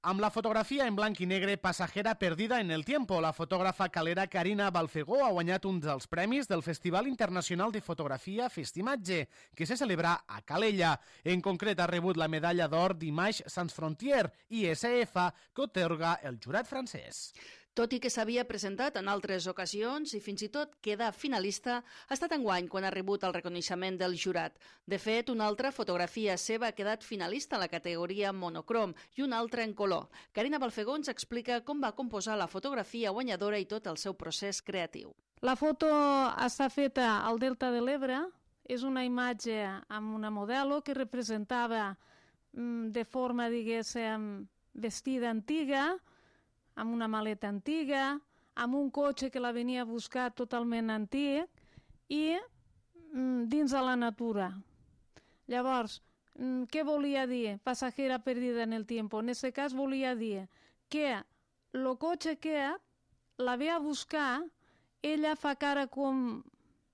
Amb la fotografia en blanc i negre Pasajera perdida en el tiempo, la fotògrafa calera Carina Balfegó ha guanyat un dels premis del Festival Internacional de Fotografia Festimatge, que se celebra a Calella. En concret, ha rebut la medalla d'or d'Images Sans Frontières, ISF, que atorga el jurat francès. Tot i que s'havia presentat en altres ocasions i fins i tot quedar finalista, ha estat enguany quan ha rebut el reconeixement del jurat. De fet, una altra fotografia seva ha quedat finalista en la categoria monocrom i una altra en color. Carina Balfegó ens explica com va composar la fotografia guanyadora i tot el seu procés creatiu. La foto està feta al Delta de l'Ebre. És una imatge amb una modelo que representava de forma, diguéssim, vestida antiga, amb una maleta antiga, amb un cotxe que la venia a buscar totalment antic i dins de la natura. Llavors, què volia dir pasajera perdida en el tiempo? En aquest cas volia dir que el cotxe que la ve a buscar, ella fa cara com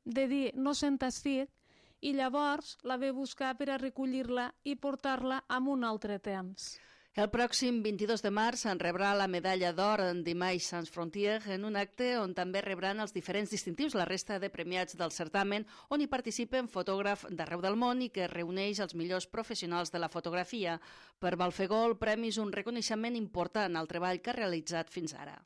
de dir no se'n estic i llavors la ve a buscar per a recollir-la i portar-la a un altre temps. El pròxim 22 de març en rebrà la medalla d'or d'Images Sans Frontières en un acte on també rebran els diferents distintius la resta de premiats del certamen, on hi participen fotògrafs d'arreu del món i que reuneix els millors professionals de la fotografia. Per Balfegó, el premi és un reconeixement important al treball que ha realitzat fins ara.